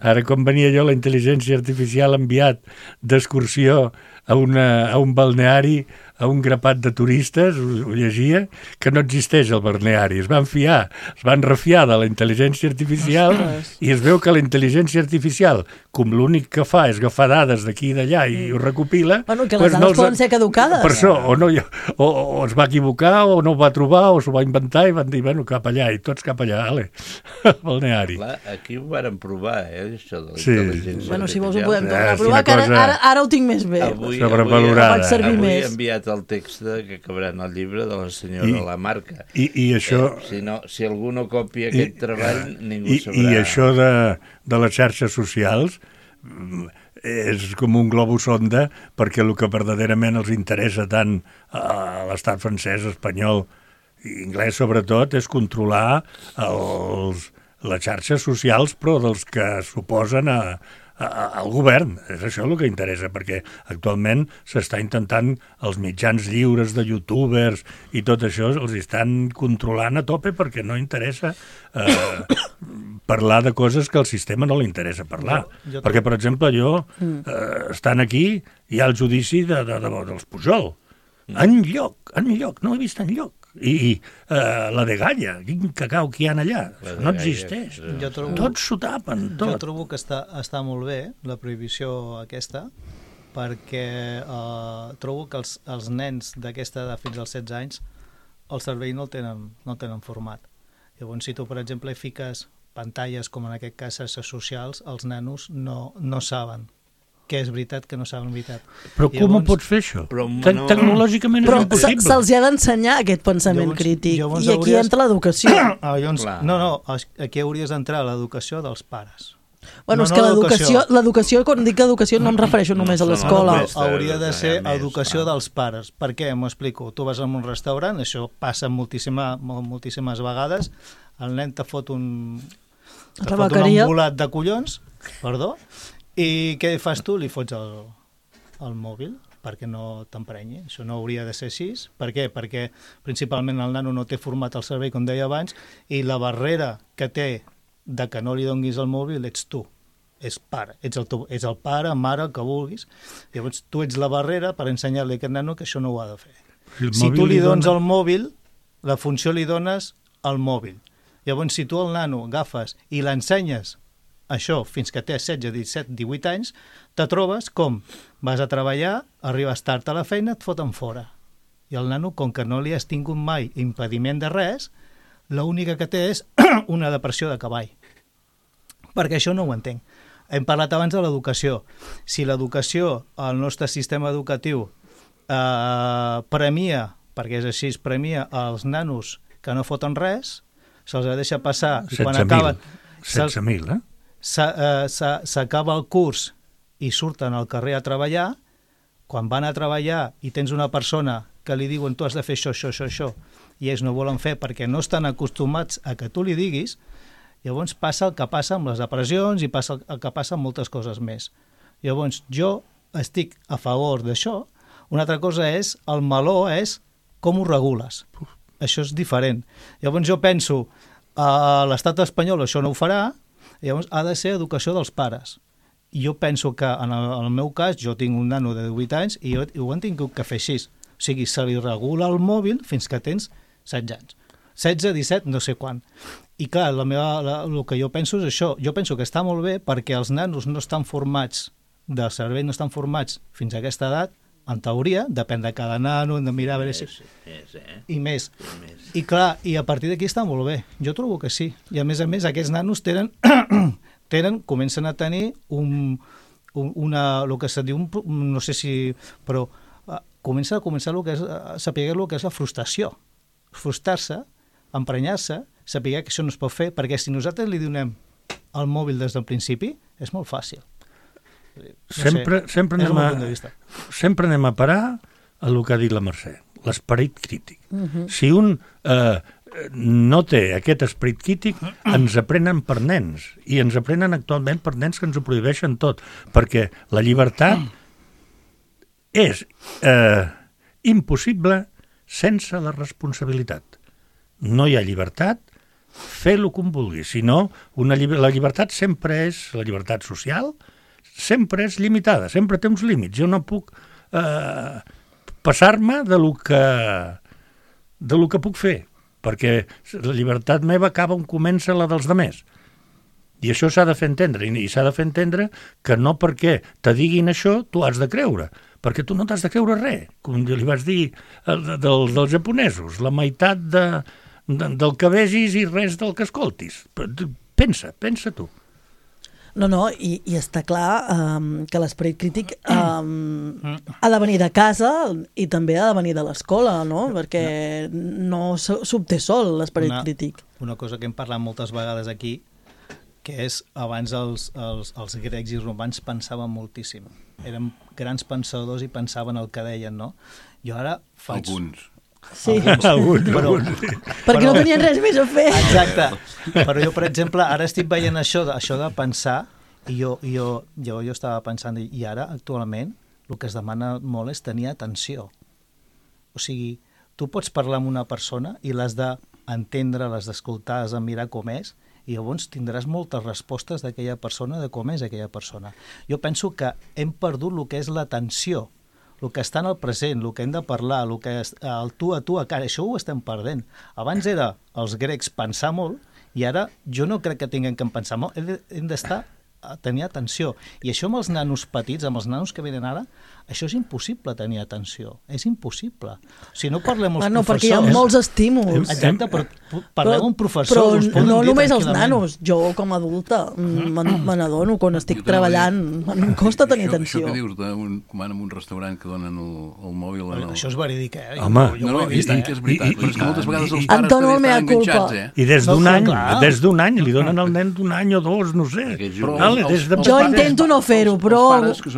Ara, quan venia jo, la intel·ligència artificial ha enviat d'excursió a un balneari, a un grapat de turistes, ho llegia, que no existeix el balneari. Es van refiar de la intel·ligència artificial i es veu que la intel·ligència artificial, com l'únic que fa és agafar dades d'aquí i d'allà i ho recopila... Bueno, que les dades poden ser caducades. Per això, o es va equivocar, o no ho va trobar, o s'ho va inventar i van dir, bueno, cap allà, i tots cap allà, ale, al balneari. Clar, aquí ho varen provar, això de la intel·ligència artificial. Bueno, si vols ho podem tornar a provar, que ara ho tinc més bé. Avui he enviat el text que acabarà en el llibre de la senyora Lamarca. I això... Si algú no copia aquest treball, ningú sabrà. I això de les xarxes socials és com un globus sonda, perquè el que verdaderament els interessa tant a l'estat francès, espanyol i anglès sobretot, és controlar les xarxes socials, però dels que s'oposen al govern. És això el que interessa, perquè actualment s'està intentant els mitjans lliures de youtubers i tot això els estan controlant a tope perquè no interessa parlar de coses que al sistema no li interessa parlar. Perquè, per exemple, estan aquí, hi ha el judici dels Pujol. Enlloc, no he vist enlloc. I la de Galla, quin cacau que hi ha allà, no existeix. Tots s'ho tapen, tot. Jo trobo que està molt bé la prohibició aquesta, perquè trobo que els nens d'aquesta edat fins als 16 anys el cervell no el tenen format. Llavors, si tu, per exemple, fiques pantalles, com en aquest cas xarxes socials, els nanos no saben que és veritat, que no saben veritat. Però com ho pots fer, això? Tecnològicament és impossible. Però se'ls ha d'ensenyar aquest pensament crític, i aquí entra l'educació. Aquí hauries d'entrar l'educació dels pares. Bueno, és que l'educació, quan dic educació, no em refereixo només a l'escola. Hauria de ser educació dels pares. Per què? M'ho explico. Tu vas a un restaurant, això passa moltíssimes vegades, el nen te fot un embolat de collons, perdó, i què fas tu? Li fots el mòbil perquè no t'emprenyi. Això no hauria de ser així. Per què? Perquè principalment el nano no té format al cervell, com deia abans, i la barrera que té de que no li donis el mòbil ets tu. És pare. És el pare, mare, el que vulguis. Llavors tu ets la barrera per ensenyar-li a aquest nano que això no ho ha de fer. Si tu li dones el mòbil, la funció li dones el mòbil. Llavors si tu el nano agafes i l'ensenyes això fins que té 16, 17, 18 anys, te trobes com vas a treballar, arribes tard a la feina, et foten fora. I el nano, com que no li has tingut mai impediment de res, l'única que té és una depressió de cavall. Perquè això no ho entenc. Hem parlat abans de l'educació. Si l'educació, el nostre sistema educatiu, premia, perquè és així, premia els nanos que no foten res, se'ls deixa passar... 16.000, s'acaba el curs i surten al carrer a treballar, quan van a treballar i tens una persona que li diuen tu has de fer això, i ells no volen fer perquè no estan acostumats a que tu li diguis, llavors passa el que passa amb les depressions i passa el que passa amb moltes coses més. Llavors jo estic a favor d'això. Una altra cosa és, el meló és com ho regules. Això és diferent. Llavors jo penso, a l'estat espanyol això no ho farà, llavors ha de ser educació dels pares. I jo penso que en el meu cas, jo tinc un nano de 18 anys i ho han tingut que fer així. O sigui, se li regula el mòbil fins que tens 16 anys. 16, 17, no sé quan. I clar, el que jo penso és això. Jo penso que està molt bé perquè els nanos no estan formats, del cervell no estan formats fins a aquesta edat, en teoria, depèn de cada nano, hem de mirar a veure si... I més. I clar, i a partir d'aquí està molt bé. Jo trobo que sí. I a més, aquests nanos comencen a tenir el que se diu, no sé si... però comença el que és, saber el que és la frustració. Frustrar-se, emprenyar-se, saber que això no es pot fer, perquè si nosaltres li donem el mòbil des del principi, és molt fàcil. Sempre anem a parar a el que ha dit la Mercè, l'esperit crític. Si un no té aquest esperit crític, ens aprenen per nens, i ens aprenen actualment per nens que ens ho prohibeixen tot, perquè la llibertat és impossible sense la responsabilitat. No hi ha llibertat, fer-lo com vulguis, sinó la llibertat sempre és, la llibertat social, sempre és limitada, sempre té uns límits. Jo no puc passar-me de lo que puc fer, perquè la llibertat meva acaba on comença la dels demés. I això s'ha de fer entendre, i s'ha de fer entendre que no perquè te diguin això tu has de creure, perquè tu no t'has de creure res, com li vas dir dels japonesos, la meitat del que vegis i res del que escoltis. Pensa tu. No, i està clar que l'esperit crític ha de venir de casa i també ha de venir de l'escola, no? Perquè no s'obté sol l'esperit crític. Una cosa que hem parlat moltes vegades aquí, que és abans els grecs i romans pensaven moltíssim. Eren grans pensadors i pensaven el que deien, no? Jo ara faig... Alguns. Sí. Alguns. Perquè no tenien res més a fer. Exacte. Però jo, per exemple, ara estic veient això de pensar, i jo estava pensant, i ara, actualment, el que es demana molt és tenir atenció. O sigui, tu pots parlar amb una persona i l'has d'entendre, l'has d'escoltar, has de mirar com és, i llavors tindràs moltes respostes d'aquella persona, de com és aquella persona. Jo penso que hem perdut el que és l'atenció, el que està en el present, el que hem de parlar, el que el tu a cara, això ho estem perdent. Abans era els grecs pensar molt, i ara jo no crec que tinguem que pensar molt, hem d'estar a tenir atenció. I això amb els nanos petits, amb els nanos que venen ara, això és impossible tenir atenció. És impossible. Si no parlem amb els professors... perquè hi ha molts estímuls. Exacte, però parlem amb professors. Però no només els nanos. Jo, com a adulta, me n'adono quan estic treballant. Em costa tenir atenció. Això que dius, com en un restaurant que donen el mòbil... Això és verídic, Home, jo ho he vist, que és veritat. Però és que moltes vegades els pares Antonio, també estan enganxats, I des d'un any, li donen al nen d'un any o dos, no sé. Jo intento no fer-ho, però... Els pares, que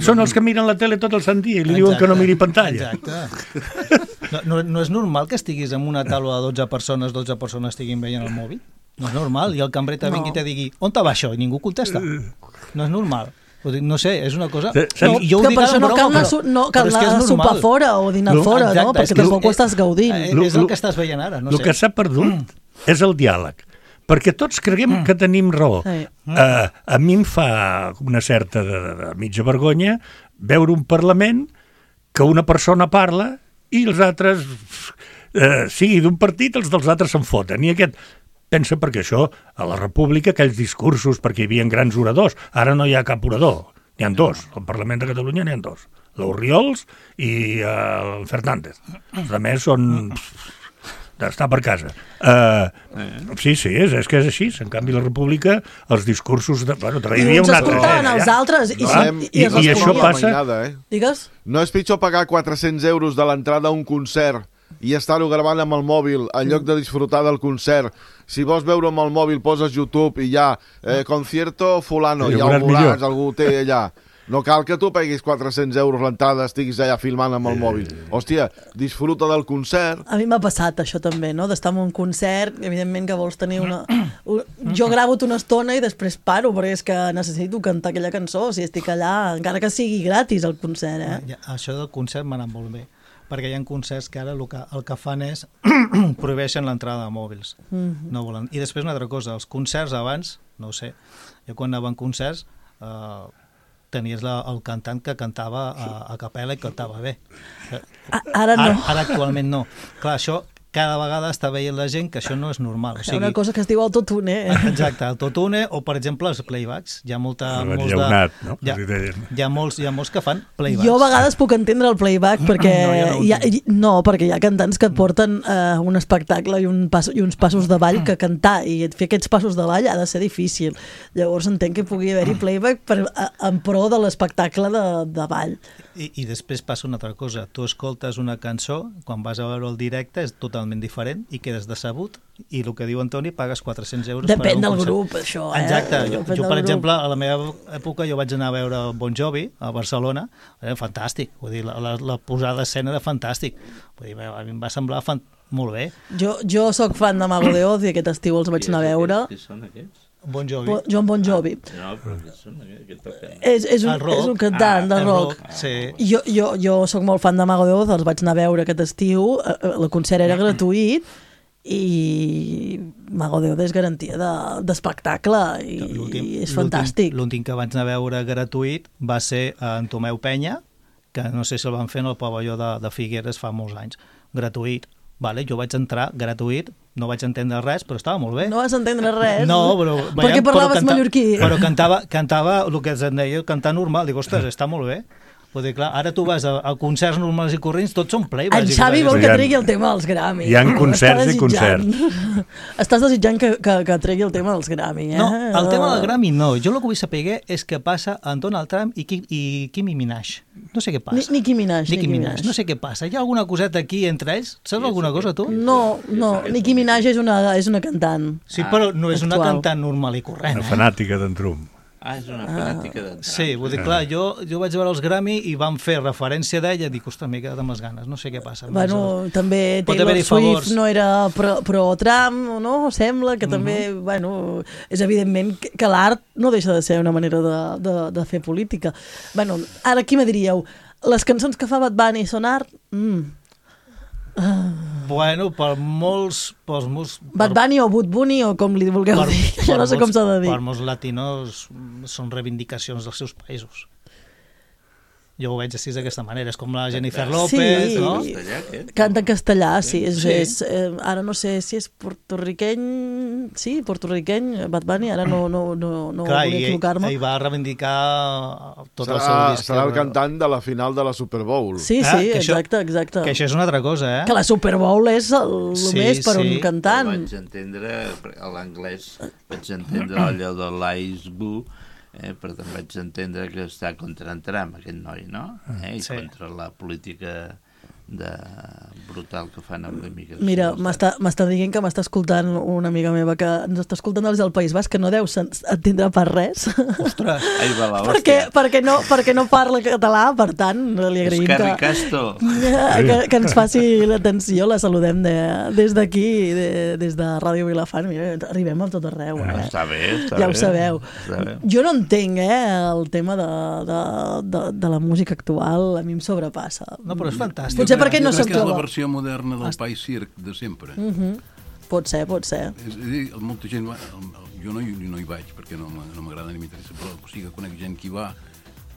són els que miren la tele tot el sant dia i li diuen que no miri pantalla. Exacte. No és normal que estiguis en una taula de 12 persones estiguin veient el mòbil? No és normal. I el cambrer te vingui i te digui on te va això? I ningú contesta. No és normal. No sé, és una cosa... Jo per això no cal anar a sopar fora o dinar fora, no? Perquè tampoc ho estàs gaudint. És el que estàs veient ara. El que s'ha perdut és el diàleg. Perquè tots creguem que tenim raó. A mi em fa una certa de mitja vergonya veure un Parlament que una persona parla i els altres, sigui d'un partit, els dels altres se'n foten. I aquest pensa perquè això, a la República, aquells discursos, perquè hi havia grans oradors, ara no hi ha cap orador, n'hi ha dos. Al Parlament de Catalunya n'hi ha dos. L'Orriols i el Fernández. Els altres són... d'estar per casa. Sí, és que és així. En canvi, la República, els discursos... Bueno, I uns escoltaven els altres i això passa... Digues? No és pitjor pagar 400 euros de l'entrada a un concert i estar-ho gravant amb el mòbil en lloc de disfrutar del concert. Si vols veure amb el mòbil, poses YouTube i ja, concierto fulano, ja ho veuràs, algú té allà. No cal que tu paguis 400 euros l'entrada, estiguis allà filmant amb el mòbil. Hòstia, disfruta del concert. A mi m'ha passat això també, no? D'estar en un concert, evidentment que vols tenir una... Jo gravo-te una estona i després paro, perquè és que necessito cantar aquella cançó, si estic allà, encara que sigui gratis el concert, Això del concert m'ha anat molt bé, perquè hi ha concerts que ara el que fan és prohibeixen l'entrada de mòbils. No volen. I després una altra cosa, els concerts abans, no ho sé, jo quan anava en concerts... tenies el cantant que cantava a capella i cantava bé. Ara no. Ara actualment no. Clar, això cada vegada està veient la gent que això no és normal. Hi ha una cosa que es diu autotune. Exacte, autotune o, per exemple, els playbacks. Hi ha molts que fan playbacks. Jo a vegades puc entendre el playback perquè perquè hi ha cantants que et porten un espectacle i uns passos de ball que cantar, i fer aquests passos de ball ha de ser difícil. Llavors entenc que pugui haver-hi playback en pro de l'espectacle de ball. I després passa una altra cosa. Tu escoltes una cançó, quan vas a veure el directe és totalment diferent i quedes decebut, i el que diu Antoni, pagues 400 euros Depèn del grup, això. Exacte. Jo per exemple, a la meva època jo vaig anar a veure Bon Jovi a Barcelona, era fantàstic, vull dir, la posada d'escena era fantàstic, vull dir, a mi em va semblar molt bé. Jo sóc fan de Mago de Oz i aquest estiu els vaig anar a veure. Qui són aquests? Bon Jovi. John Bon Jovi. No, però què són aquests? És un cantant de rock. Sí. Jo sóc molt fan de Mago de Oz, els vaig anar a veure aquest estiu, el concert era gratuït i Mago de Oz és garantia d'espectacle i és fantàstic. L'últim que vaig anar a veure gratuït va ser en Tomeu Penya, que no sé si el van fer en el pavelló de Figueres fa molts anys, gratuït. Vale, jo vaig entrar gratuït, no vaig entendre res, però estava molt bé. No vas entendre res? No, però... Perquè parlaves mallorquí. Però cantava el que es deia cantar normal. Dic, ostres, està molt bé. Vull dir, clar, ara tu vas a concerts normals i corrents, tots són play. En Xavi vol que tregui el tema dels Grammy. Hi ha concerts i concerts. Estàs desitjant que tregui el tema dels Grammy, eh? No, el tema del Grammy no. Jo el que vull saber és què passa en Donald Trump i Kimi Minaj. No sé què passa. Nicki Minaj. No sé què passa. Hi ha alguna coseta aquí entre ells? Saps alguna cosa, tu? No. Nicki Minaj és una cantant. Sí, però no és una cantant normal i corrent. Una fanàtica d'en Trump. És una fanàtica d'en Trump. Sí, vull dir, clar, jo vaig veure els Grammy i van fer referència d'ella i dic, ostres, m'he quedat amb les ganes, no sé què passa. Bueno, també Taylor Swift no era pro-Trump, no? Sembla que també, bueno, és evidentment que l'art no deixa de ser una manera de fer política. Bueno, ara aquí me diríeu, les cançons que fa Bad Bunny són art? Bueno, per molts... Bad Bunny o Bud Bunny o com li vulgueu dir, jo no sé com s'ha de dir. Per molts latinos són reivindicacions dels seus països. Jo ho veig així d'aquesta manera, és com la Jennifer López, no? Canta en castellà, sí. Ara no sé si és portorriqueny, Bad Bunny, ara no volia equivocar-me. Ell va reivindicar tot el seu disc. Serà el cantant de la final de la Super Bowl. Sí, exacte. Que això és una altra cosa, eh? Que la Super Bowl és el més per un cantant. Vaig entendre, a l'anglès, vaig entendre allò de l'Ice Boo, però també vaig entendre que està contra en Trump, aquest noi, no? I contra la política brutal que fan amb l'immigració. Mira, m'està dient que m'està escoltant una amiga meva que ens està escoltant des del País Basc, que no deu entendre per res. Ostres! Ai, va la hòstia. perquè no parla català, per tant, li agraïm que ens faci l'atenció, la saludem des d'aquí, des de Ràdio Vilafant. Mira, arribem a tot arreu. Està bé. Ja ho sabeu. Jo no entenc, el tema de la música actual, a mi em sobrepassa. No, però és fantàstic. Potser perquè no se'n troba. És la versió moderna del País Circ de sempre. Pot ser. És a dir, molta gent... Jo no hi vaig perquè no m'agrada ni m'interessa, però sí que conec gent que hi va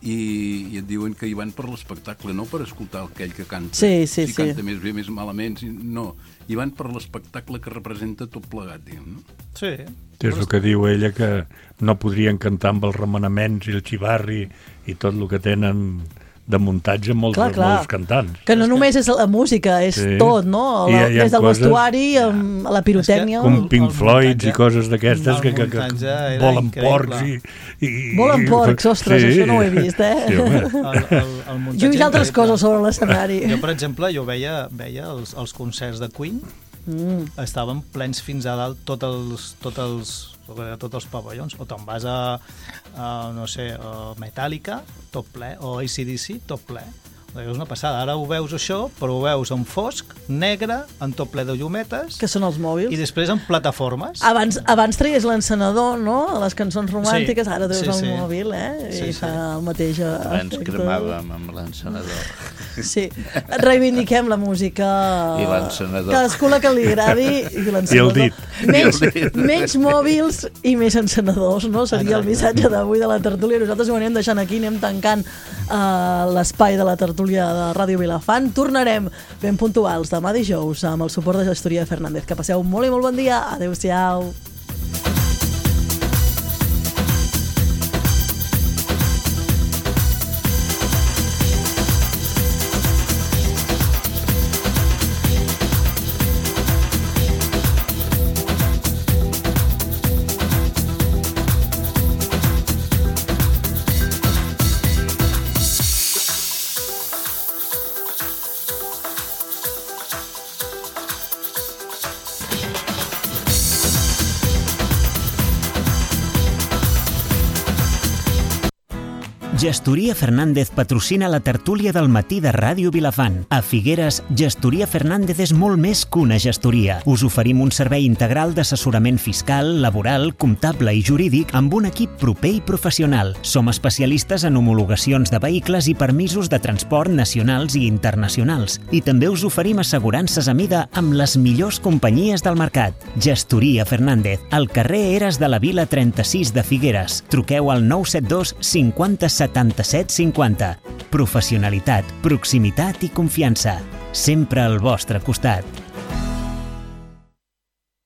i et diuen que hi van per l'espectacle, no per escoltar aquell que canta. Sí. Canta més bé, més malament. No, hi van per l'espectacle que representa tot plegat, diguem, no? Sí. És el que diu ella, que no podrien cantar amb els remenaments i el xivarri i tot el que tenen de muntatge molts cantants. Que no només és la música, és tot, no? Des del vestuari, a la pirotècnia... Com Pink Floyd i coses d'aquestes que volen porcs i... Volen porcs, ostres, això no ho he vist, Jo he vist altres coses sobre l'escenari. Jo, per exemple, veia els concerts de Queen, estaven plens fins a dalt tots els pavellons, o te'n vas a no sé, Metallica, tot ple, o AC/DC, tot ple. És una passada. Ara ho veus això, però ho veus en fosc, negre, en tot ple de llumetes. Que són els mòbils. I després en plataformes. Abans traies l'encenedor, no?, a les cançons romàntiques, ara treus el mòbil, I fa el mateix efecte. Abans cremàvem amb l'encenedor. Sí. Reivindiquem la música. I l'encenedor. Cadascú la que li agradi i l'encenedor. I el dit. Menys mòbils i més encenedors, no? Seria el missatge d'avui de la tertúlia. Nosaltres ho anem deixant aquí, anem tancant l'espai de la tertúlia de Ràdio Vilafant. Tornarem ben puntuals demà dijous amb el suport de Gestoria Fernández. Que passeu molt i molt bon dia. Adéu-siau. Gestoria Fernández patrocina la tertúlia del matí de Ràdio Vilafant. A Figueres, Gestoria Fernández és molt més que una gestoria. Us oferim un servei integral d'assessorament fiscal, laboral, comptable i jurídic amb un equip proper i professional. Som especialistes en homologacions de vehicles i permisos de transport nacionals i internacionals. I també us oferim assegurances a mida amb les millors companyies del mercat. Gestoria Fernández, al carrer Eres de la Vila 36 de Figueres. Truqueu al 972 50 77 50. Professionalitat, proximitat i confiança. Sempre al vostre costat.